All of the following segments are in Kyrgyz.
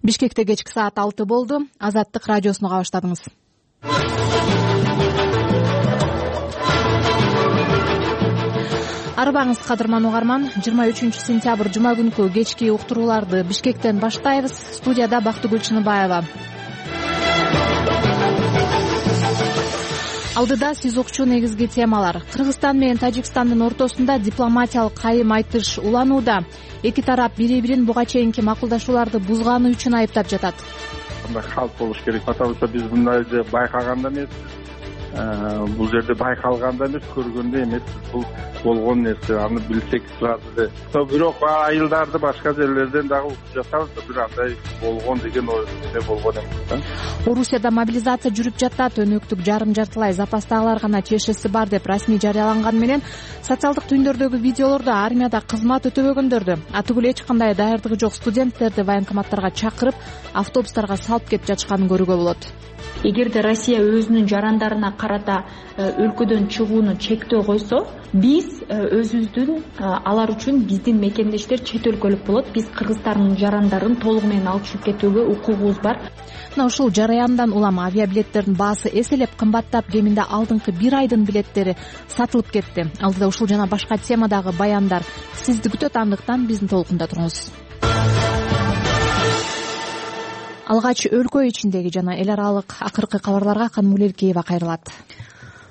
Бишкекте кечки саат 6 болду. Азаттык радиосуну баштадыңыз. Арбаңыз кадырман угарман. 23-сентябрь жума күнкү кечки уктурууларды Бишкектен баштайбыз. Студияда Бактыгүл Чыныбаева. Алдыда сиз укчу негизги темалар. Кыргызстан менен Тажикстандын ортосунда дипломатиялык кайым айтыш уланууда. Эки тарап бири-бирин буга чейинки макулдашууларды бузганы үчүн айыптап жатат. Мындай халт болуш керек. Атабызда биз мындайды байкаганда эмеспиз. Бул жерде байкалганда эмес, көргөндө эмеспиз. Бул болгон нерсе. Аны билсек сразу. Бирок айылдарды башка жерлерден дагы угуп жатабыз. Бир андай болгон деген ойдо болгон эмес. Орусияда мобилизация жүрүп жатат. Өнөктүк жарым-жартылай запастагылар гана чешеси бар деп расмий жарыяланган менен социалдык түйүндөрдөгү видеолордо армияда кызмат өтөбөгөндөрдү, атүгүл эч кандай даярдыгы жок студенттерди военкоматтарга чакырып, автобустарга салып кетип жатышканын көрүүгө болот. Эгерде Россия өзүнүн жарандарына карата өлкөдөн чыгууну чектөө койсо, биз өзүбүздүн алар үчүн биздин мекендештер чет өлкөлүк болот. Биз Кыргызстандын жарандарын толугу менен алып чыгып кетүүгө укугубуз бар. Мына ушул жараяндан улам авиабилеттердин баасы эселеп кымбаттап, кеминде алдыңкы бир айдын билеттери сатылып кетти. Алдыда ушул жана башка темадагы баяндар сизди күтөт, андыктан биздин толкунда туруңуз. Алгач өлкө ичиндеги жана эл аралык акыркы кабарларга Канымгүл Эркеева кайрылат.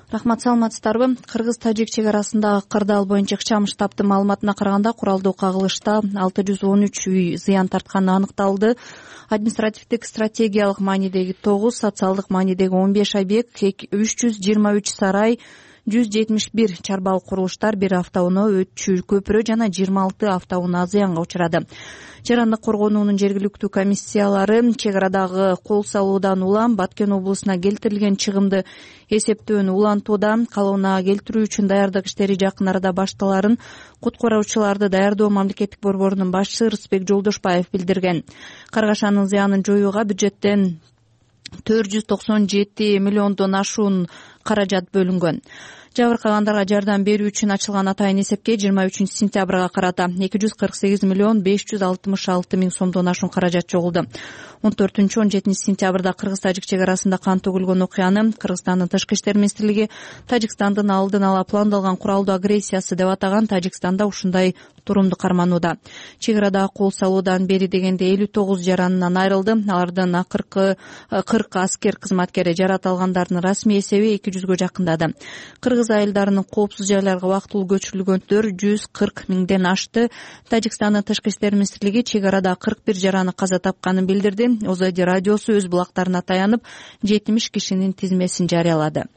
Рахмат, саламатсыздарбы? Кыргыз-Тажик чек арасындагы кырдаал боюнча Ыкчам штабтын маалыматына караганда, куралдуу кагылышта 613 үй зыян тартканы аныкталды. Административдик стратегиялык маанидеги 9, социалдык маанидеги 15 объект, 323 сарай, 171 чарбалык курулуштар, 1 автоунаа, өтчү көпүрө жана 26 автоунаа зыянга учурады. Жарандык коргонуунун жергиликтүү комиссиялары чек арадагы кол салуудан улам Баткен облусуна келтирилген чыгымды эсептөөнү улантууда. Калыбына келтирүү үчүн даярдык иштери жакын арада башталарын куткаруучуларды даярдоо мамлекеттик борборунун башчысы Рысбек Жолдошбаев билдирген. Каргашанын зыянын жоюуга бюджеттен 497 миллиондон ашуун каражат бөлүнгөн. Жабыркагандарга жардам берүү үчүн ачылган атайын эсепке 23-сентябрга карата 248 миллион 566 миң сомдон ашуун каражат чогулду. 14-17 сентябрда Кыргыз-Тажик чек арасында кан төгүлгөн окуяны Кыргызстандын тышкы иштер министрлиги Тажикстандын алдын ала пландалган куралдуу агрессиясы деп атаган. Тажикстанда ушундай турумду карманууда. Чек арада кол салуудан бери дегенде 59 жаранынан айрылды. Алардын 40 аскер кызматкери, жарат алгандардын расмий эсеби 200гө жакындады. Кыргыз айылдарынын коопсуз жайларга убактылуу көчүрүлгөндөр 140 миңден ашты. Тажикстандын тышкы иштер министрлиги чек арада 41 жараны каза тапканын билдирди. ОЗД радиосу өз булактарына таянып 70 кишинин тизмесин жарыялады.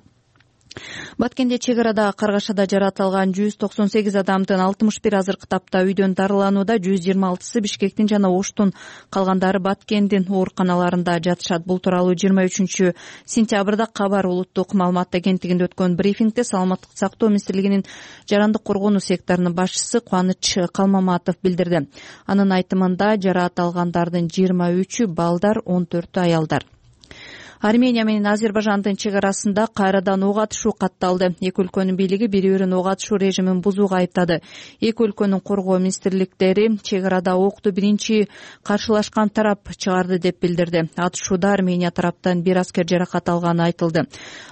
Баткенде чек арада каргашада жаратылган 198 адамдын 61 азыркы тапта үйдөн дарыланууда, 126-сы Бишкектин жана Оштун, калгандары Баткендин ооруканаларында жатышат. Бул тууралуу 23-сентябрда Кабар улуттук маалымат агенттигинде өткөн брифингде Саламаттык сактоо министрлигинин жарандык коргонуу секторунун башчысы Кубаныч Калмаматов билдирди. Анын айтымында жараат алгандардын 23-ү балдар, 14-ү аялдар. Армения менен Азербайжандын чек арасында кайрадан ок атышуу катталды. Эки өлкөнүн бийлиги бири-бирин ок атышуу режимин бузууга айыптады. Эки өлкөнүн коргоо министрликтери чек арада окту биринчи каршылашкан тарап чыгарды деп билдирди. Атышууда Армения тараптан 1 аскер жаракат алганы айтылды.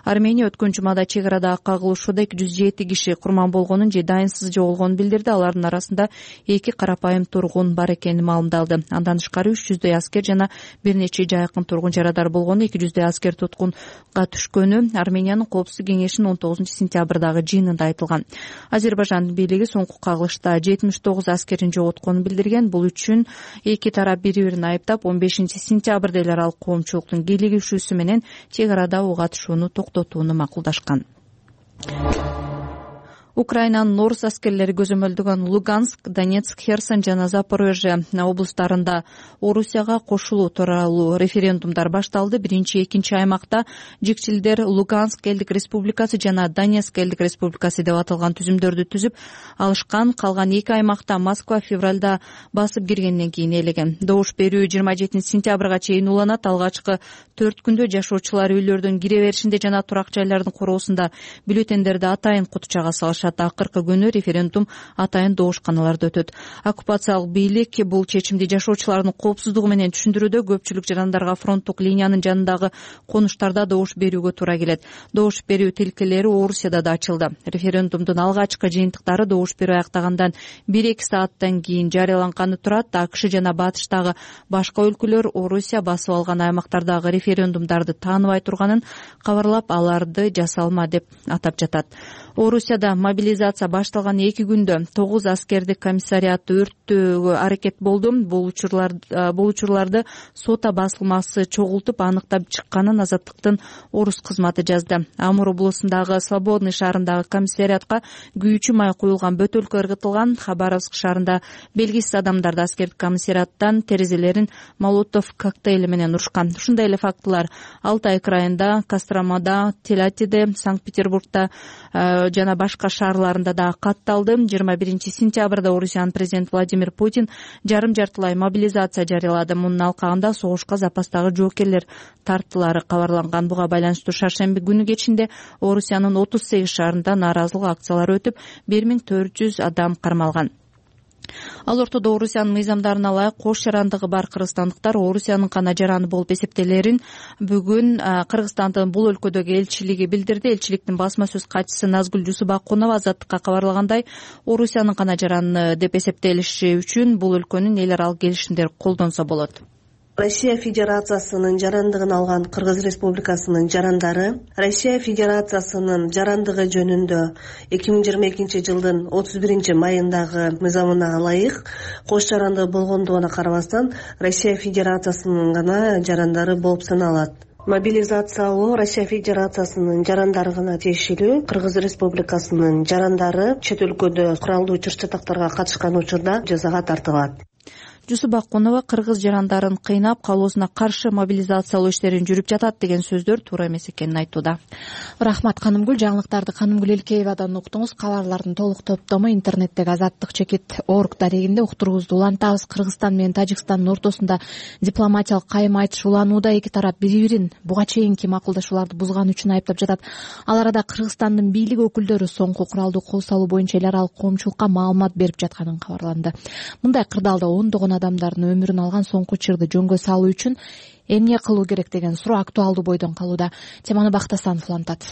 Армения өткөн жумада чек арадагы кагылышууда 207 киши курман болгонун же дайынсыз жоголгонун билдирди. Алардын арасында 2 карапайым тургун бар экени маалымдалды. Андан тышкары 300 аскер жана бир нече жайкын тургун жарадар болгону, 200 аскер туткунга түшкөнү Армениянын коопсуздук кеңешинин 19-сентябрдагы жыйынында айтылган. Азербайжандын бийлиги соңку кагылышта 79 аскерин жоготконун билдирген. Бул үчүн эки тарап бири-бирин айыптап, 15-сентябрда эл аралык коомчулуктун кийлигишүүсү менен чек арада ок атышууну токтотууну макулдашкан. Украинанын орус аскерлери көзөмөлдөгөн Луганск, Донецк, Херсон жана Запорожье облустарында Орусияга кошулуу тууралуу референдумдар башталды. Биринчи, экинчи аймакта жикчилдер Луганск элдик республикасы жана Донецк элдик республикасы деп аталган түзүмдөрдү түзүп алышкан. Калган эки аймакта Москва февралда басып киргенден кийин ээлеген. Добуш берүү 27 сентябрга чейин уланат. Алгачкы 4 күндө жашоочулар үйлөрдөн кире беришинде жана турак жайлардын короосунда бюллетендерди атайын кутчага салышат. кылышат. Акыркы күнү референдум атайын добушканаларда өтөт. Оккупациялык бийлик бул чечимди жашоочулардын коопсуздугу менен түшүндүрүүдө көпчүлүк жарандарга фронттук линиянын жанындагы конуштарда добуш берүүгө туура келет. Добуш берүү тилкелери Орусияда да ачылды. Референдумдун алгачкы жыйынтыктары добуш берүү аяктагандан 1-2 сааттан кийин жарыяланганы турат. АКШ жана батыштагы башка өлкөлөр Орусия басып алган аймактардагы референдумдарды тааныбай турганын кабарлап, аларды жасалма деп атап жатат. Орусияда мобилизация башталган 2 күндө 9 аскердик комиссариат өрттөөгө аракет болду. Бул учурларды сота басылмасы чогултуп аныктап чыкканын Азаттыктын орус кызматы жазды. Амур облусундагы Свободный шаарындагы комиссариатка күйүүчү май куюлган бөтөлкө ыргытылган. Хабаровск шаарында белгисиз адамдарды аскердик комиссариаттан терезелерин молотов коктейли менен урушкан. Ушундай эле фактылар Алтай крайында, Костромада, Телятиде, Санкт-Петербургда жана башка шаарларында да катталды. 21-сентябрда Орусиянын президенти Владимир Путин жарым-жартылай мобилизация жарыялады. Мунун алкагында согушка запастагы жоокерлер тартылары кабарланган. Буга байланыштуу шаршемби күнү кечинде Орусиянын 38 шаарында нааразылык акциялары өтүп, 1400 адам кармалган. Ал ортодо Орусиянын мыйзамдарына ылайык кош жарандыгы бар кыргызстандыктар Орусиянын гана жараны болуп эсептелерин бүгүн Кыргызстандын бул өлкөдөгү элчилиги билдирди. Элчиликтин басма сөз катчысы Назгүл Жусубакунова Азаттыкка кабарлагандай, Орусиянын гана жараны деп эсептелиши үчүн бул өлкөнүн эл аралык келишимдер колдонсо болот. Россия Федерациясынын жарандыгын алган Кыргыз Республикасынын жарандары Россия Федерациясынын жарандыгы жөнүндө 2022 жылдын 31 майындагы мыйзамына ылайык кош жарандыгы болгондугуна карабастан Россия Федерациясынын гана жарандары болуп саналат. Мобилизациялоо Россия Федерациясынын жарандарына тиешелүү. Кыргыз Республикасынын жарандары чет өлкөдө куралдуу чыр-чатактарга катышкан учурда жазага тартылат. Жусубакунова кыргыз жарандарын кыйнап калуусуна каршы мобилизациялоо иштерин жүрүп жатат деген сөздөр туура эмес экенин айтууда. Рахмат Канымгүл. Жаңылыктарды Канымгүл Элкеевадан уктуңуз. Кабарлардын толук топтому интернеттеги azattik.org дарегинде уктуруубузду улантабыз. Кыргызстан менен Тажикстандын ортосунда дипломатиялык кайым айтыш уланууда. Эки тарап бири-бирин буга чейинки макулдашууларды бузган үчүн айыптап жатат. Ал арада Кыргызстандын бийлик өкүлдөрү соңку куралдуу кол салуу боюнча эл аралык коомчулукка маалымат берип жатканын кабарланды. Мындай кырдаалда ондогон адамдардын өмүрүн алган соңку чырды жөнгө салуу үчүн эмне кылуу керек деген суроо актуалдуу бойдон калууда. Теманы Бактасанов улантат.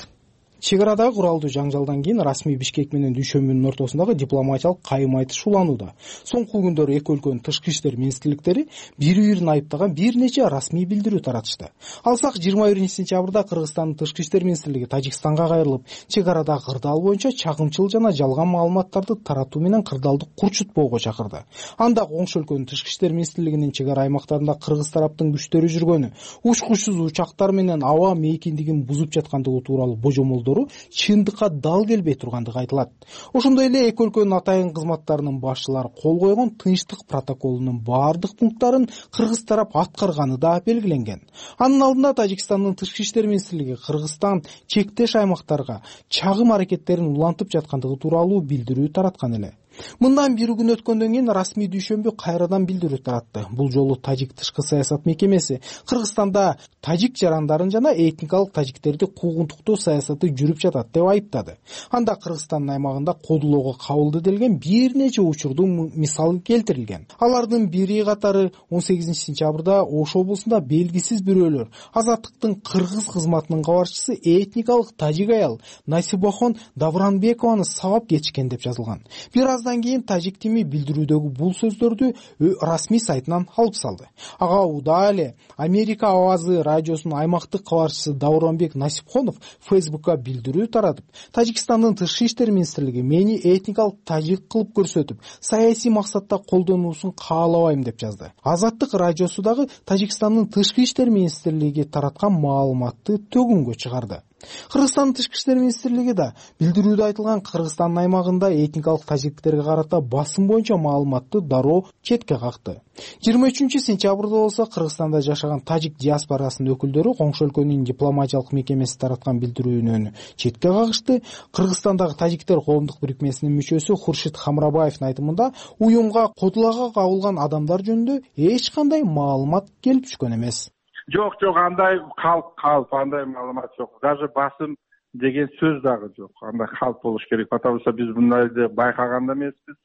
Чек арадагы куралдуу жаңжалдан кийин расмий Бишкек менен Дүйшөмбүнүн ортосундагы дипломатиялык кайым айтыш уланууда. Соңку күндөрү эки өлкөнүн тышкы иштер министрликтери бири-бирин айыптаган бир нече расмий билдирүү таратышты. Алсак 21-сентябрда Кыргызстандын тышкы иштер министрлиги Тажикстанга кайрылып, чек арадагы кырдаал боюнча чагымчыл жана жалган маалыматтарды таратуу менен кырдаалды курчутпоого чакырды. Анда коңшу өлкөнүн тышкы иштер министрлигинин чек ара аймактарында кыргыз тараптын күчтөрү жүргөнү, учкучсуз учактар менен аба мейкиндигин бузуп жаткандыгы тууралуу божомолдору чындыкка дал келбей тургандыгы айтылат. Ошондой эле эки өлкөнүн атайын кызматтарынын башчылары кол койгон тынчтык протоколунун баардык пункттарын кыргыз тарап аткарганы да белгиленген. Анын алдында Тажикстандын тышкы иштер министрлиги Кыргызстан чектеш аймактарга чагым аракеттерин улантып жаткандыгы тууралуу билдирүү тараткан эле. Мындан бир күн өткөндөн кийин расмий Дүйшөмбү кайрадан билдирүү таратты. Бул жолу Тажик тышкы саясат мекемеси Кыргызстанда тажик жарандарын жана этникалык тажиктерди куугунтуктоо саясаты жүрүп жатат деп айыптады. Анда Кыргызстандын аймагында кодулоого кабылды делген бир нече учурдун мисалы келтирилген. Алардын бири катары 18-сентябрда Ош облусунда белгисиз бирөөлөр Азаттыктын кыргыз кызматынын кабарчысы этникалык тажик аял Насибахон Давранбекованы сабап кетишкен деп жазылган. Бир аздан кийин тажик тими билдирүүдөгү бул сөздөрдү расмий сайтынан алып салды. Ага учурда эле Америка Авазы радиосунун аймактык кабарчысы Давранбек Насипхонов Фейсбукка билдирүү таратып, Тажикстандын тышкы иштер министрлиги мени этникалык тажик кылып көрсөтүп, саясий максатта колдонуусун каалабайм деп жазды. Азаттык радиосу дагы Тажикстандын тышкы иштер министрлиги тараткан маалыматты төгүнгө чыгарды. Кыргызстандын тышкы иштер министрлиги да билдирүүдө айтылган Кыргызстандын аймагында этникалык тажиктерге карата басым боюнча маалыматты дароо четке какты. 23-сентябрда болсо Кыргызстанда жашаган тажик диаспорасынын өкүлдөрү коңшу өлкөнүн дипломатиялык мекемеси тараткан билдирүүнү четке кагышты. Кыргызстандагы тажиктер коомдук бирикмесинин мүчөсү Хуршит Хамрабаевдин айтымында уюмга кодулоого кабылган адамдар жөнүндө эч кандай маалымат келип түшкөн эмес. Жок, андай калп андай маалымат жок. Даже басым деген сөз дагы жок. Андай калп болуш керек. Потому что биз мындайды байкаган да эмеспиз.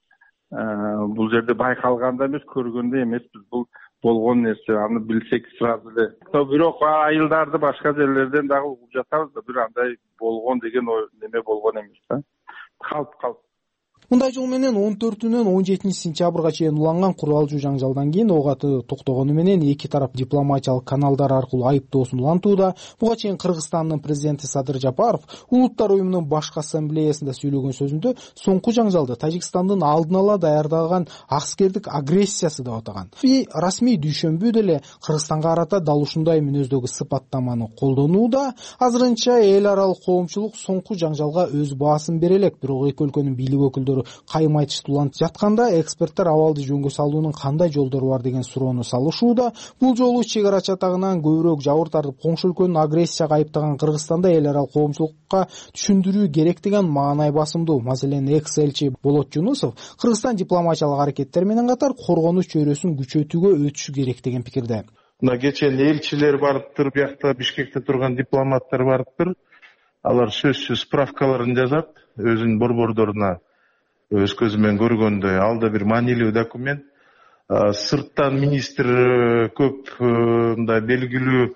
Бул жерде байкалган да эмес, көргөн да эмеспиз. Бул болгон нерсе. Аны билсек сразу эле. Бирок айылдарды башка жерлерден дагы угуп жатабыз да, бир андай болгон деген неме болгон эмес да. Калп. Мындай жол менен 14-нөн 17 сентябрга чейин уланган куралдуу жаңжалдан кийин ок аты токтогону менен эки тарап дипломатиялык каналдар аркылуу айыптоосун улантууда. Буга чейин Кыргызстандын президенти Садыр Жапаров Улуттар уюмунун башкы ассамблеясында сүйлөгөн сөзүндө соңку жаңжалды Тажикстандын алдын ала даярдаган аскердик агрессиясы деп атаган. Расмий дүйшөмбү деле Кыргызстанга карата дал ушундай мүнөздөгү сыпаттаманы колдонууда. Азырынча эл аралык коомчулук соңку жаңжалга өз баасын бере элек, бирок эки өлкөнүн бийлик өкүлдөрү кайым айтышты улантып жатканда эксперттер абалды жөнгө салуунун кандай жолдору бар деген суроону салышууда. Бул жолу чек ара чатагынан көбүрөөк жабыр тартып коңшу өлкөнүн агрессияга айыптаган Кыргызстанда эл аралык коомчулукка түшүндүрүү керек деген маанай басымдуу. Маселен, экс-элчи Болот Жунусов Кыргызстан дипломатиялык аракеттер менен катар коргонуу чөйрөсүн күчөтүүгө өтүшү керек деген пикирде. Мына кечээ элчилер барыптыр, биякта Бишкекте турган дипломаттар барыптыр. Алар сөзсүз справкаларын жазат өзүнүн борбордоруна. Өз көзү менен көргөндөй, ал да бир маанилүү документ. Сырттан министр көп мындай белгилүү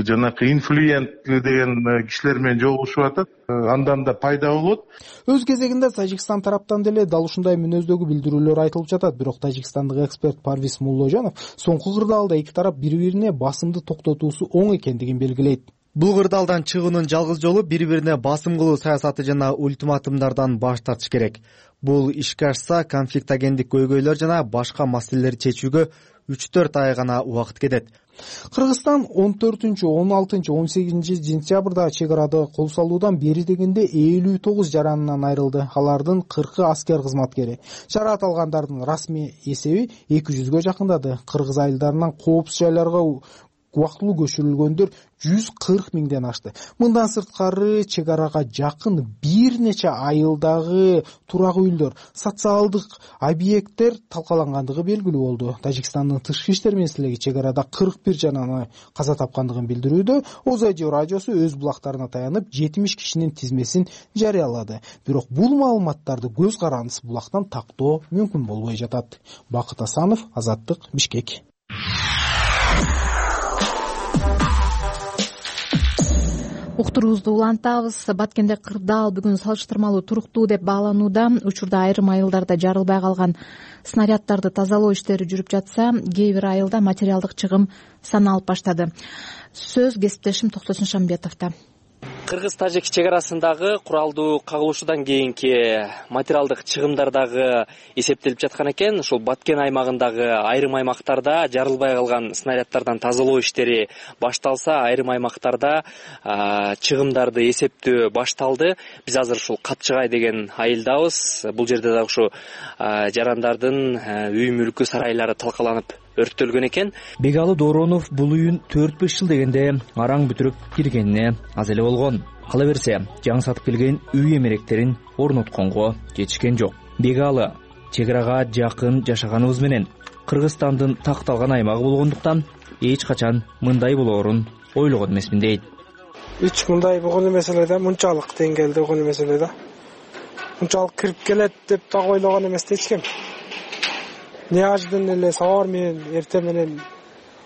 жанакы инфлюентлүү деген кишилер менен жолугушуп атат. Андан да пайда болот. Өз кезегинде Тажикстан тараптан деле дал ушундай мүнөздөгү билдирүүлөр айтылып жатат. Бирок тажикстандык эксперт Парвиз Мулложанов соңку кырдаалда эки тарап бири-бирине басымды токтотуусу оң экендигин белгилейт. Бул кырдаалдан чыгуунун жалгыз жолу бири-бирине басым кылуу саясаты жана ультиматумдардан баш тартыш керек. Бул ишке ашса конфликтогендик көйгөйлөр жана башка маселелерди чечүүгө 3-4 ай гана убакыт кетет. Кыргызстан 14, 16, 18 сентябрда чек арада кол салуудан бери дегенде 59 жаранынан айрылды. Алардын 40 аскер кызматкери. Жараат алгандардын расмий эсеби 200гө жакындады. Кыргыз айылдарынан коопсуз жайларга убактылуу көчүрүлгөндөр 140 миңден ашты. Мындан сырткары чек арага жакын бир нече айылдагы турак үйлөр, социалдык объекттер талкалангандыгы белгилүү болду. Тажикстандын тышкы иштер министрлиги чек арада 41 жананы каза тапкандыгын билдирүүдө. Озайжо радиосу өз булактарына таянып 70 кишинин тизмесин жарыялады. Бирок бул маалыматтарды көз карандысыз булактан тактоо мүмкүн болбой жатат. Бакыт Асанов, Азаттык, Бишкек. Уктуруубузду улантабыз. Баткенде кырдаал бүгүн салыштырмалуу туруктуу деп бааланууда. Учурда айрым айылдарда жарылбай калган снаряддарды тазалоо иштери жүрүп жатса, кээ бир айылда материалдык чыгым саналып баштады. Сөз кесиптешим Токтосун Шамбетовдо. Кыргыз-тажик чек арасындагы куралдуу кагылышуудан кийинки материалдык чыгымдар дагы эсептелип жаткан экен. Ушул Баткен аймагындагы айрым аймактарда жарылбай калган снаряддардан тазалоо иштери башталса, айрым аймактарда чыгымдарды эсептөө башталды. Биз азыр ушул Капчыгай деген айылдабыз. Бул жерде дагы ушу жарандардын үй мүлкү сарайлары талкаланып өрттөлгөн экен. Бегалы Доронов бул үйүн 4-5 жыл дегенде араң бүтүрүп киргенине аз эле болгон. Кала берсе, жаңы сатып келген үй эмеректерин орнотконго жетишкен жок. Бегалы чек арага жакын жашаганыбыз менен Кыргызстандын такталган аймагы болгондуктан эч качан мындай болоорун ойлогон эмесмин дейт. Эч мындай болгон эмес эле да, мынчалык деңгээлде болгон эмес эле да. Мынчалык кирип келет деп так ойлогон эмес да эч ким. Неожиданно эле сабар менен эрте менен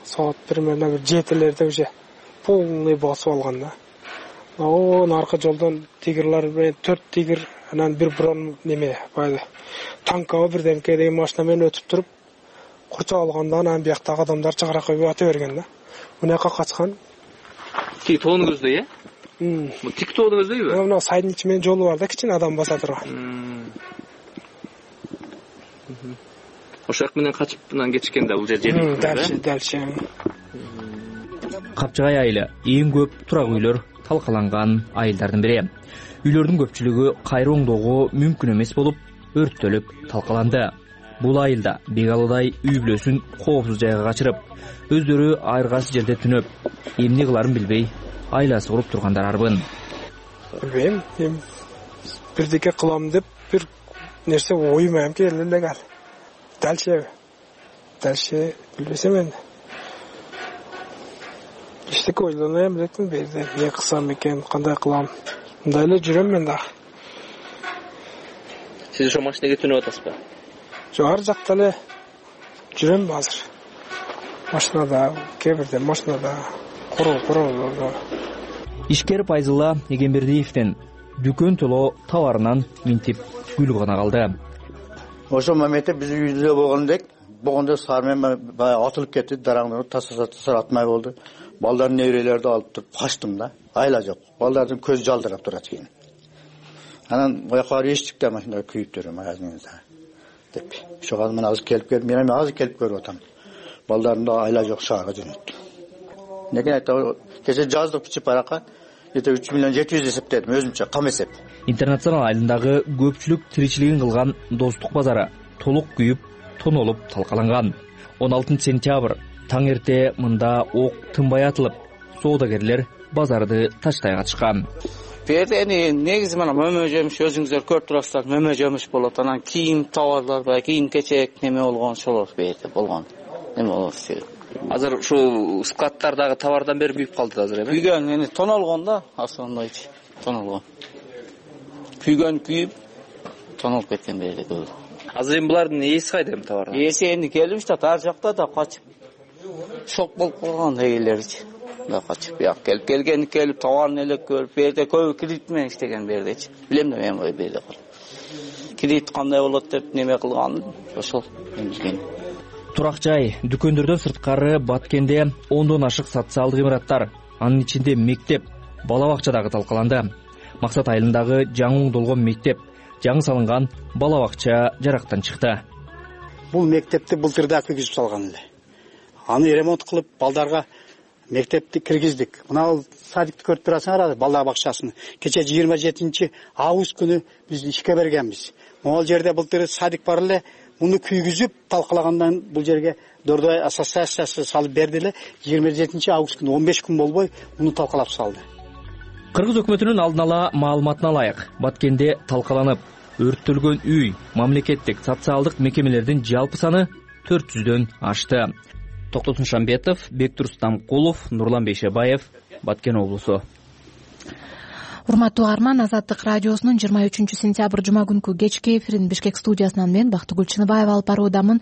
саат примерно 7-лерде уже полный басып алган да. Аркы жолдон тигрлер менен 4 тигр, анан бир брон неме баягы танкабы бирдемке деген машина менен өтүп туруп курчап алганда, анан бияктагы адамдар чыгара коюп ата берген да. Мынакка качкан. Тиги тоонун көздөй, Бул тик тоонун көздөйбү? Мына сайдын ичи менен жолу бар да, кичине адам баса турган. Ошак менен качып анан кетишкен да бул жер. Дальше. Капчыгай айылы эң көп турак үйлөр талкаланган айылдардын бири. Үйлөрдүн көпчүлүгү кайра оңдоого мүмкүн эмес болуп, өрттөлүп талкаланды. Бул айылда Бегалыдай үй бүлөсүн коопсуз жайга качырып, өздөрү айыргасы жерде түнөп, эмне кыларын билбей айласы куруп тургандар арбын. Билбейм, бирдеке кылам деп бир нерсе оюма келди эле. Дальше билбесем энди. Эчтеке ойлонбой элекмин, берде эмне кылсам экен, кандай кылам. Мындай эле жүрөм мен дагы. Сиз ошо машинеге түнөп атасызбы? Жок, ар жакта эле жүрөм азыр. Машинада, кээ бирде машинада, короо. Ишкер Пайзулла Эгембердиевден дүкөн толо товарынан минтип күл гана калды. Ошол моментте биз үйдө болгондо сармен атылып кетти, дараңдырып тасыр атмай болду. Балдардын неберелерди алып туруп качтым да. Айла жок. Балдардын көзү жалдырап турат экен. Анан ояка барып эчтик да машинада күйүп жүрөм азырда деп. Ошого мен азыр келип көрүп атам. Балдардын да айла жок, шаарга жөнөттү. Неге айта кеше жаздык бичип баракка 3 миллион 700 эсептедим өзүмчө, кам эсеп. Интернационал айылындагы көпчүлүк тиричилигин кылган Достук базары толук күйүп, тонолуп талкаланган. 16 сентябрь таң эрте мында ок тынбай атылып, соодагерлер базарды таштай катышкан. Берде негизи мына мөмө жемиш, өзүңүздөр көрүп турасыздар, мөмө жемиш болот. Анан кийим товарлар, кийим кечек неме болгон ошолор берде болгон. Эме болот. Азыр ушул складтардагы товардан бери күйүп калды азыр эме? Күйгөн, тоналгон да, основной тоналгон. Күйүп, тонолуп кеткен берде көп. Азыр эми булардын ээси кайда эми товар? Ээси энди келип жатат, ар жакта да качып. Шок болуп калган эгелерчи. Да качып, келип товарын элек көрүп, берде көбү кредит менен иштеген бердечи. Билем да мен берде. Кредит кандай болот деп неме кылган, ошол билген. Турак жай, дүкөндөрдөн сырткары Баткенде 10дон ашык социалдык имараттар, анын ичинде мектеп, бала бакча дагы талкаланды. Максат айылындагы жаңы оңдолгон мектеп, жаңы салынган бала бакча жарактан чыкты. Бул мектепти былтырда киргизип салган эле. Аны ремонт кылып, балдарга мектепти киргиздик. Мына садикти көрүп турасыңар, бала бакчасын. Кече 27 август күнү биз ишке бергенбиз. Могул жерде былтыр садик бар эле, муну күйгүзүп талкалагандан бул жерге Дордой ассоциациясы салып берди эле. 27 август күнү 15 күн болбой муну талкалап салды. Кыргыз өкмөтүнүн алдын ала маалыматына ылайык, Баткенде талкаланып, өрттөлгөн үй, мамлекеттик социалдык мекемелердин жалпы саны 400дөн ашты. Токтотун Шамбетов, Бектур Стамкулов, Нурлан Бейшебаев, Баткен облусу. Урматтуу угарман, Азаттык радиосунун 23 сентябрь жума күнкү кечки эфирин Бишкек студиясынан мен Бактыгүл Чыныбаева алып баруудамын.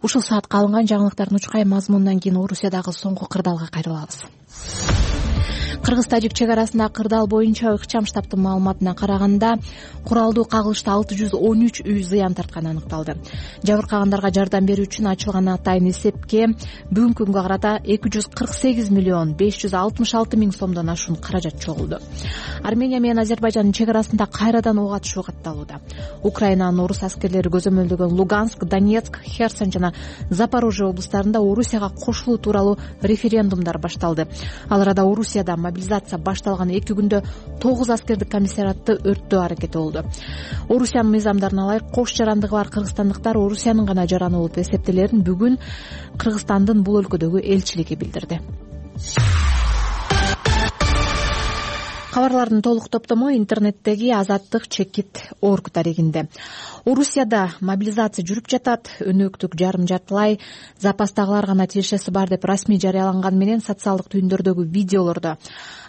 Ушул саатка алынган жаңылыктардын учкай мазмунунан кийин Орусиядагы соңку кырдаалга кайрылабыз. Кыргыз-тажик чек арасындагы кырдаал боюнча ыкчам штабтын маалыматына караганда, куралдуу кагылышта 613 үй зыян тартканы аныкталды. Жабыркагандарга жардам берүү үчүн ачылган атайын эсепке бүгүнкү күнгө карата 248 миллион 566 миң сомдон ашуун каражат чогулду. Армения менен Азербайжандын чек арасында кайрадан ок атышуу катталууда. Украинанын орус аскерлери көзөмөлдөгөн Луганск, Донецк, Херсон жана Запорожье облустарында Орусияга кошулуу тууралуу референдумдар башталды. Ал арада Орусияда мобилизация башталган 2 күндө 9 аскердик комиссариатты өрттөө аракети болду. Орусиянын мыйзамдарына ылайык кош жарандыгы бар кыргызстандыктар Орусиянын гана жараны болуп эсептелерин бүгүн Кыргызстандын бул өлкөдөгү элчилиги билдирди. Кабарлардын толук топтому интернеттеги azattik.org дарегинде. Орусияда мобилизация жүрүп жатат. Өнөктүк жарым жартылай запастагылар гана тиешеси бар деп расмий жарыяланган менен социалдык түйүндөрдөгү видеолордо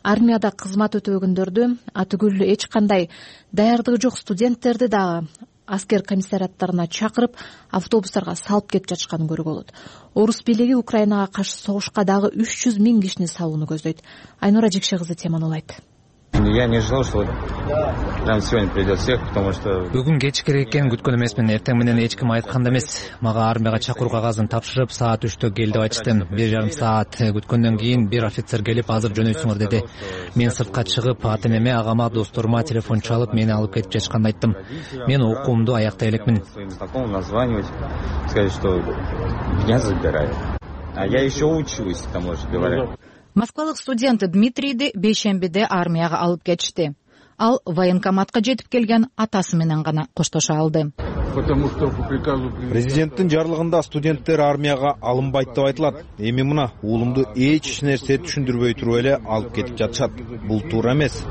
армияда кызмат өтөбөгөндөрдү, атүгүл эч кандай даярдыгы жок студенттерди дагы аскер комиссариаттарына чакырып, автобустарга салып кетип жатышканын көрүүгө болот. Орус бийлиги Украинага каршы согушка дагы 300 миң кишини салууну көздөйт. Айнура Жекше кызы теманы улайт. Я не ожидал, что прям сегодня придет всех, потому что... Бүгүн кеч керек экенин күткөн эмесмин. Эртең менен эч ким айткан да эмес. Мага армияга чакыруу кагазын тапшырып, саат 3-тө кел деп айтышты. 1,5 саат күткөндөн кийин бир офицер келип, азыр жөнөйсүңөр деди. Мен сыртка чыгып, ата энеме, агама, досторума телефон чалып, мени алып кетип жатышканын айттым. Мен окуумду аяктай элекмин. Своим знакомым названивать, сказать, что меня забирают. А я еще учусь, к тому же говоря. Москвалык студент Дмитрийди бейшембиде армияга алып кетишти. Ал военкоматка жетип келген атасы менен гана коштошо алды. Президенттин жарлыгында студенттер армияга алынбайт деп айтылат. Эми мына уулумду эч нерсе түшүндүрбөй туруп эле алып кетип жатышат. Бул туура эмес.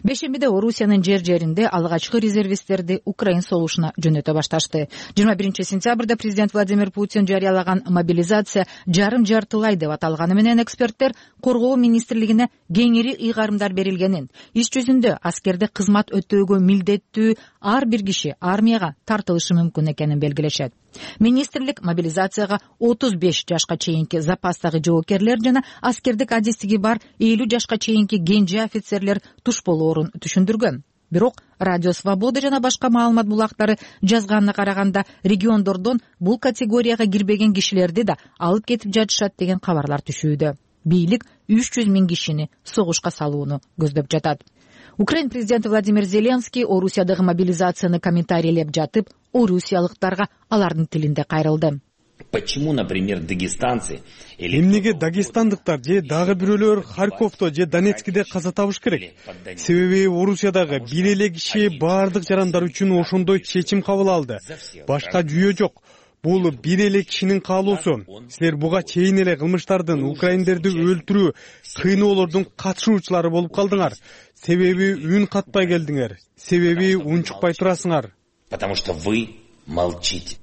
Бейшембиде Орусиянын жеринде алгачкы резервисттерди Украин согушуна жөнөтө башташты. 21 сентябрда президент Владимир Путин жарыялаган мобилизация жарым-жартылай деп аталганы менен эксперттер коргоо министрлигине кеңири ыйгарымдар берилгенин, иш жүзүндө аскерде кызмат өтөөгө милдеттүү ар бир киши армияга тартылышы мүмкүн экенин белгилешет. Министрлик мобилизацияга 35 жашка чейинки запастагы жоокерлер жана аскердик адистиги бар 50 жашка чейинки кенже офицерлер туш болоорун түшүндүргөн. Бирок Радио Свобода жана башка маалымат булактары жазганына караганда региондордон бул категорияга кирбеген кишилерди да алып кетип жатышат деген кабарлар түшүүдө. Бийлик 300 000 кишини согушка салууну көздөп жатат. Украин президенти Владимир Зеленский Орусиядагы мобилизацияны комментарийлеп жатып, орусиялыктарга алардын тилинде кайрылды. Почему, например, дагестанцы эмнеге дагестандыктар же дагы бирөөлөр Харьковдо же Донецкиде каза табыш керек? Себеби Орусиядагы бир эле киши баардык жарандар үчүн ошондой чечим кабыл алды. Башка жүйө жок. Бул бир эле кишинин каалоосу. Силер буга чейин эле кылмыштардын, украиндерди өлтүрүү, кыйноолордун катышуучулары болуп калдыңар. Себеби үн катпай келдиңер. Себеби унчукпай турасыңар. Потому что вы молчите.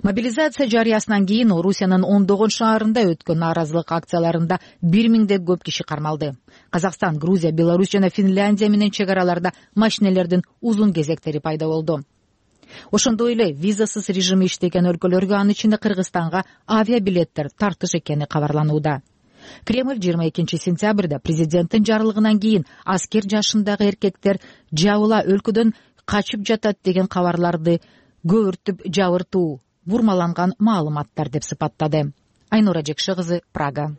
Мобилизация жарыясынан кийин Орусиянын ондогон шаарында өткөн нааразылык акцияларында 1000ден көп киши кармалды. Казакстан, Грузия, Беларусь жана Финляндия менен чек араларда машинелердин узун кезектери пайда болду. Ошондой эле визасыз режими иштеген өлкөлөргө, анын ичинде Кыргызстанга авиабилеттер тартыш экени кабарланууда. Кремль 22 сентябрда президенттин жарлыгынан кийин аскер жашындагы эркектер жабыла өлкөдөн качып жатат деген кабарларды көөртүп жабыртуу, бурмаланган маалыматтар деп сыпаттады. Айнура Жекши кызы, Прага.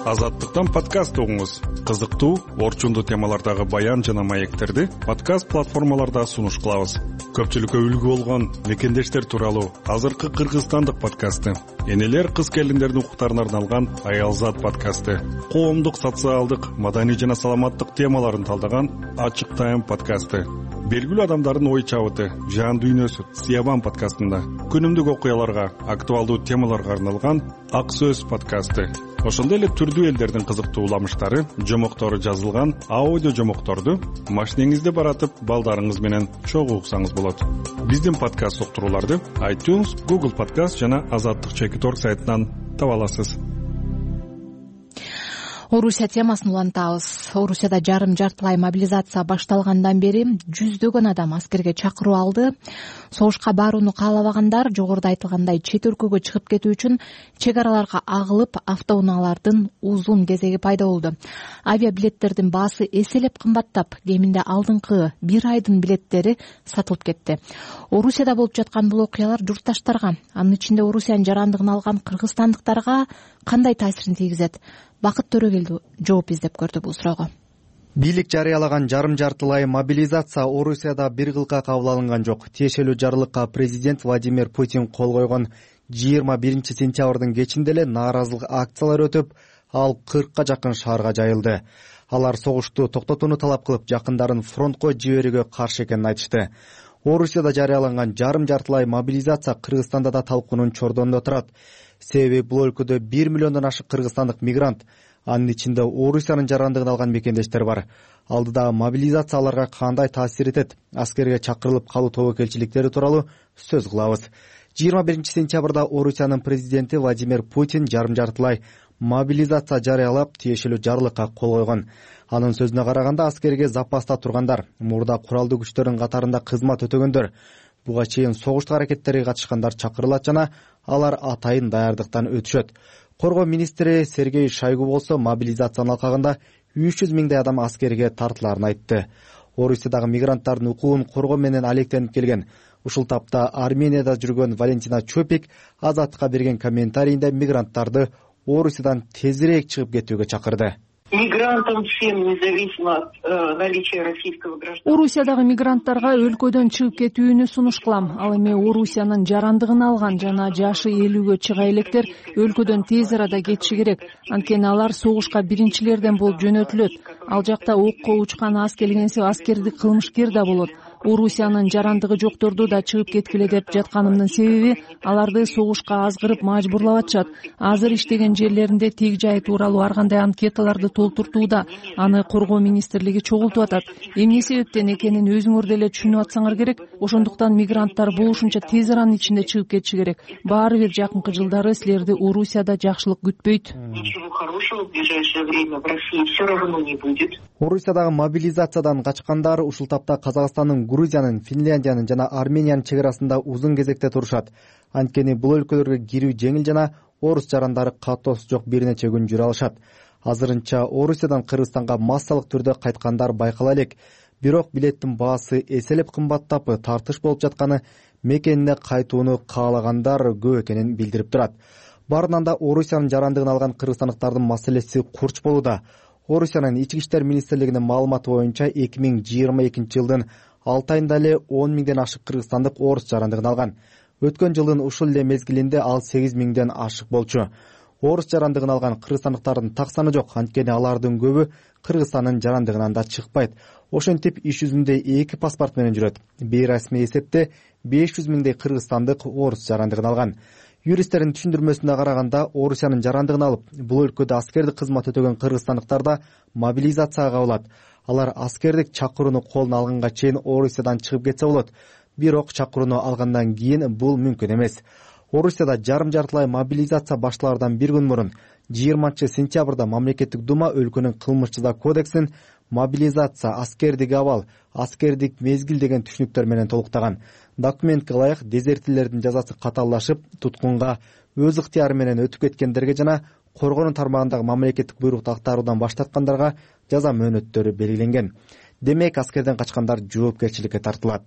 Азаттыктан подкаст угуңуз. Кызыктуу, орчундуу темалардагы баян жана маектерди подкаст платформаларда сунуш кылабыз. Көпчүлүккө үлгү болгон мекендештер тууралуу азыркы кыргызстандык подкасты, энелер кыз келиндердин укуктарына арналган Аялзат подкасты, коомдук, социалдык, маданий жана саламаттык темаларын талдаган Ачык Тайм подкасты, белгилүү адамдардын ой чабыты, жан дүйнөсү Сиябан подкастында, күнүмдүк окуяларга, актуалдуу темаларга арналган Ак Сөз подкасты, ошондой эле түрдүү элдердин кызыктуу уламыштары, жомоктору жазылган аудио жомокторду машинеңизде баратып балдарыңыз менен чогуу уксаңыз болот. Биздин подкаст уктурууларды iTunes, Google Podcast жана Азаттык.org сайтынан таба аласыз. Орусия темасын улантабыз. Орусияда жарым-жартылай мобилизация башталгандан бери жүздөгөн адам аскерге чакыруу алды. Согушка барууну каалабагандар жогоруда айтылгандай чет өлкөгө чыгып кетүү үчүн чек араларга агылып, автоунаалардын узун кезеги пайда болду. Авиабилеттердин баасы эселеп кымбаттап, кеминде алдыңкы бир айдын билеттери сатылып кетти. Орусияда болуп жаткан бул окуялар журтташтарга, анын ичинде Орусиянын жарандыгын алган кыргызстандыктарга кандай таасирин тийгизет? Бакыт Төрөгелди жооп издеп көрдү бул суроого. Бийлик жарыялаган жарым-жартылай мобилизация Орусияда бир кылка кабыл алынган жок. Тиешелүү жарлыкка президент Владимир Путин кол койгон 21 сентябрдын кечинде эле нааразылык акциялар өтүп, ал 40ка жакын шаарга жайылды. Алар согушту токтотууну талап кылып, жакындарын фронтко жиберүүгө каршы экенин айтышты. Орусияда жарыяланган жарым-жартылай мобилизация Кыргызстанда да талкуунун чордонунда турат. Себеби бул өлкөдө 1 миллиондон ашык кыргызстандык мигрант, анын ичинде Орусиянын жарандыгын алган мекендештер бар. Алдыдагы мобилизация аларга кандай таасир этет? Аскерге чакырылып калуу тобокелчиликтери тууралуу сөз кылабыз. 21 сентябрда Орусиянын президенти Владимир Путин жарым-жартылай мобилизация жарыялап, тиешелүү жарлыкка кол койгон. Анын сөзүнө караганда, аскерге запаста тургандар, мурда куралдуу күчтөрдүн катарында кызмат өтөгөндөр, буга чейин согуштук аракеттерге катышкандар чакырылат жана алар атайын даярдыктан өтүшөт. Коргоо министри Сергей Шойгу болсо мобилизациянын алкагында 300 000 адам аскерге тартыларын айтты. Орусиядагы мигранттардын укугун коргоо менен алектенип келген. Ушул тапта Арменияда жүргөн Валентина Чопик Азаттыкка берген комментарийинде мигранттарды Орусиядан тезирээк чыгып кетүүгө чакырды. Мигрантам всем, независимо от наличия российского гражданства. Орусиядагы мигранттарга өлкөдөн чыгып кетүүнү сунуш кылам. Ал эми Орусиянын жарандыгын алган жана жашы 50-гө чыга электер өлкөдөн тез арада кетиши керек. Анткени алар согушка биринчилерден болуп жөнөтүлөт. Ал жакта окко учкан аз келгенси аскердик кылмышкер да болот. Орусиянын жарандыгы жокторду да чыгып кеткиле деп жатканымдын себеби аларды согушка азгырып мажбурлап атышат. Азыр иштеген жерлеринде тег жайы тууралуу ар кандай анкеталарды толтуртууда. Аны коргоо министрлиги чогултуп атат. Эмне себептен экенин өзүңөр деле түшүнүп атсаңар керек. Ошондуктан мигранттар болушунча тез аранын ичинде чыгып кетиши керек. Баары бир жакынкы жылдары силерди Орусияда жакшылык күтпөйт. Ничего хорошего в ближайшее время в России все равно не будет. Орусиядагы мобилизациядан качкандар ушул тапта Казакстандын, Грузиянын, Финляндиянын жана Армениянын чек арасында узун кезекте турушат. Анткени бул өлкөлөргө кирүү жеңил жана орус жарандары катоосу жок бир нече күн жүрө алышат. Азырынча Орусиядан Кыргызстанга массалык түрдө кайткандар байкала элек. Бирок билеттин баасы эселеп кымбаттап, тартыш болуп жатканы мекенине кайтууну каалагандар көп экенин билдирип турат. Баарынан да Орусиянын жарандыгын алган кыргызстандыктардын маселеси курч болууда. Орусиянын ички иштер министрлигинин маалыматы боюнча 2022 жылдын 6 айында эле 10 миңден ашык кыргызстандык орус жарандыгын алган. Өткөн жылдын ушул эле мезгилинде ал 8 миңден ашык болчу. Орус жарандыгын алган кыргызстандыктардын так саны жок, анткени алардын көбү Кыргызстандын жарандыгынан да чыкпайт. Ошентип иш жүзүндө 2 паспорт менен жүрөт. Бейрасмий эсепте 500 миңдей кыргызстандык орус жарандыгын алган. Юристтердин түшүндүрмөсүнө караганда, Орусиянын жарандыгын алып, бул өлкөдө аскердик кызмат өтөгөн кыргызстандыктар да мобилизацияга кабылат. Алар аскердик чакырууну колуна алганга чейин Орусиядан чыгып кетсе болот. Бирок чакырууну алгандан кийин бул мүмкүн эмес. Орусияда жарым-жартылай мобилизация башталардан бир күн мурун 20-сентябрда мамлекеттик дума өлкөнүн кылмыш жаза кодексин мобилизация, аскердик абал, аскердик мезгил деген түшүнүктөр менен толуктаган. Документке ылайык дезертирлердин жазасы катаалдашып, туткунга өз ыктыяры менен өтүп кеткендерге жана коргонуу тармагындагы мамлекеттик буйрукту актаруудан баш тарткандарга жаза мөөнөттөрү белгиленген. Демек, аскерден качкандар жоопкерчиликке тартылат.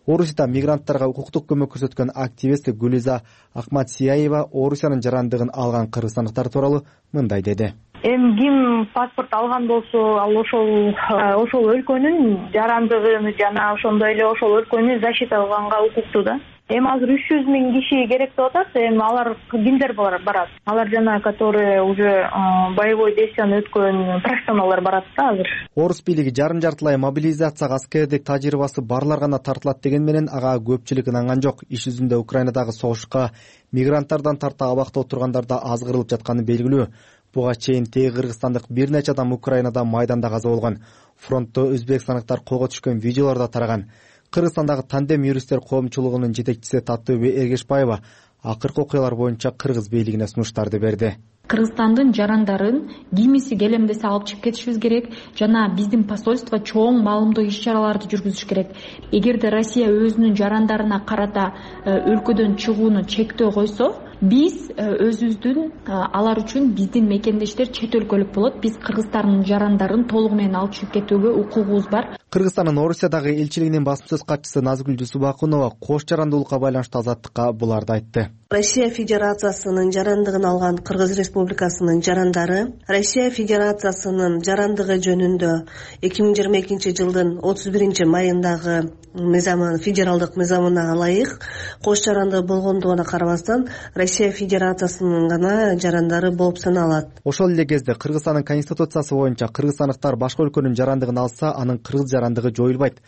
Орусияда мигранттарга укуктук көмөк көрсөткөн активист Гулиза Акматсияева Орусиянын жарандыгын алган кыргызстандыктар тууралуу мындай деди. Ким паспорт алган болсо, ал ошол өлкөнүн жарандыгын жана ошондой эле ошол өлкөнү защита кылганга укуктуу да. Азыр 300 миң киши керек деп атат. Алар кимдер барат? Алар жана которые уже боевой действияны өткөн профессионалдар барат да азыр. Орус бийлиги жарым-жартылай мобилизацияга аскердик тажрыйбасы барлар гана тартылат деген менен ага көпчүлүк ынанган жок. Иш жүзүндө Украинадагы согушка мигранттардан тарта абакта отургандар да азгырылып жатканы белгилүү. Буга чейин теги кыргызстандык бир нече адам Украинада майданда каза болгон. Фронтто өзбекстандыктар колго түшкөн видеолор да тараган. Кыргызстандагы тандем юристтер коомчулугунун жетекчиси Татыбек Эргешбаева акыркы окуялар боюнча кыргыз бийлигине сунуштарды берди. Кыргызстандын жарандарын кимиси келемдесе алып чыгып кетишибиз керек жана биздин посольство чоң маалымдоо иш-чараларды жүргүзүш керек. Эгерде Россия өзүнүн жарандарына карата өлкөдөн чыгууну чектөө койсо, биз өзүбүздүн алар үчүн биздин мекендештер чет өлкөлүк болот. Биз Кыргызстандын жарандарын толугу менен алып чыгып кетүүгө укугубуз бар. Кыргызстандын Орусиядагы элчилигинин басма сөз катчысы Назгүл Жусупакунова кош жарандуулукка байланыштуу Азаттыкка буларды айтты. Россия Федерациясынын жарандыгын алган Кыргыз Республикасынын жарандары Россия Федерациясынын жарандыгы жөнүндө 2022 жылдын 31 майындагы федералдык мыйзамына ылайык кош жарандыгы болгондугуна карабастан Россия Федерациясынын гана жарандары болуп саналат. Ошол эле кезде Кыргызстандын конституциясы боюнча кыргызстандыктар башка өлкөнүн жарандыгын алса, анын кыргыз жарандыгы жоюлбайт.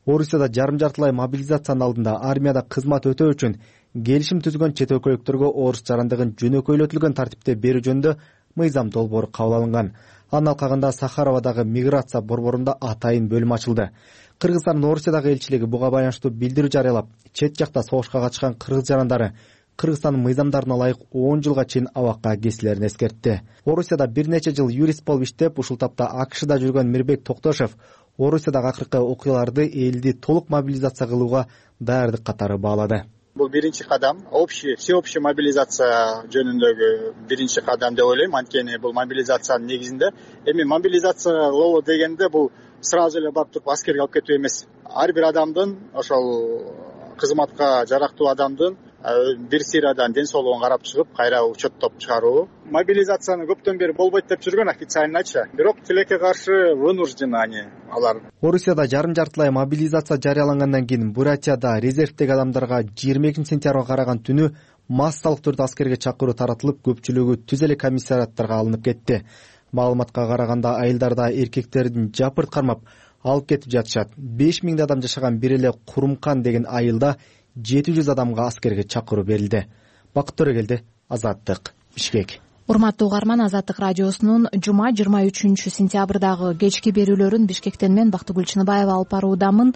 Орусияда жарым-жартылай мобилизациянын алдында армияда кызмат өтөө үчүн келишим түзгөн чет өлкөлүктөргө орус жарандыгын жөнөкөйлөтүлгөн тартипте берүү жөнүндө мыйзам долбоору кабыл алынган. Анын алкагында Сахаровадагы миграция борборунда атайын бөлүм ачылды. Кыргызстандын Орусиядагы элчилиги буга байланыштуу билдирүү жарыялап, чет жакта согушка катышкан кыргыз жарандары Кыргызстандын мыйзамдарына ылайык 10 жылга чейин абакка кесилерин эскертти. Орусияда бир нече жыл юрист болуп иштеп, ушул тапта АКШда жүргөн Мирбек Токтошев Орусиядагы акыркы окуяларды элди толук мобилизация кылууга даярдык катары баалады. Бул биринчи кадам, всеобщая мобилизация жөнүндөгү биринчи кадам деп ойлойм. Анткени бул мобилизациянын негизинде мобилизациялоо дегенде бул сразу эле барып туруп аскерге алып кетүү эмес. Ар бир адамдын ошол кызматка жарактуу адамдын бир сыйрадан ден соолугун карап чыгып, кайра учеттоп чыгаруу. Мобилизацияны көптөн бери болбойт деп жүргөн официальныйча. Бирок тилекке каршы вынуждены алар. Орусияда жарым-жартылай мобилизация жарыялангандан кийин Бурятияда резервдеги адамдарга 22 сентябрга караган түнү массалык түрдө аскерге чакыруу таратылып, көпчүлүгү түз эле комиссариаттарга алынып кетти. Маалыматка караганда айылдарда эркектердин жапырт кармап, алып кетип жатышат. 5000 адам жашаган бир эле Курумкан деген айылда 700 адамга аскерге чакыруу берилди. Бакыт Төрөгелди, Азаттык, Бишкек. Урматтуу угарман, Азаттык радиосунун жума 23 сентябрдагы кечки берүүлөрүн Бишкектен мен Бактыгүл Чыныбаева алып баруудамын.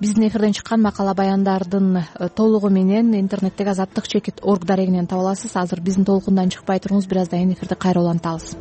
Биздин эфирден чыккан макала баяндардын толугу менен интернеттеги азаттык чекит org дарегинен таба аласыз. Азыр биздин толкундан чыкпай туруңуз, бир аздан кийин эфирди кайра улантабыз.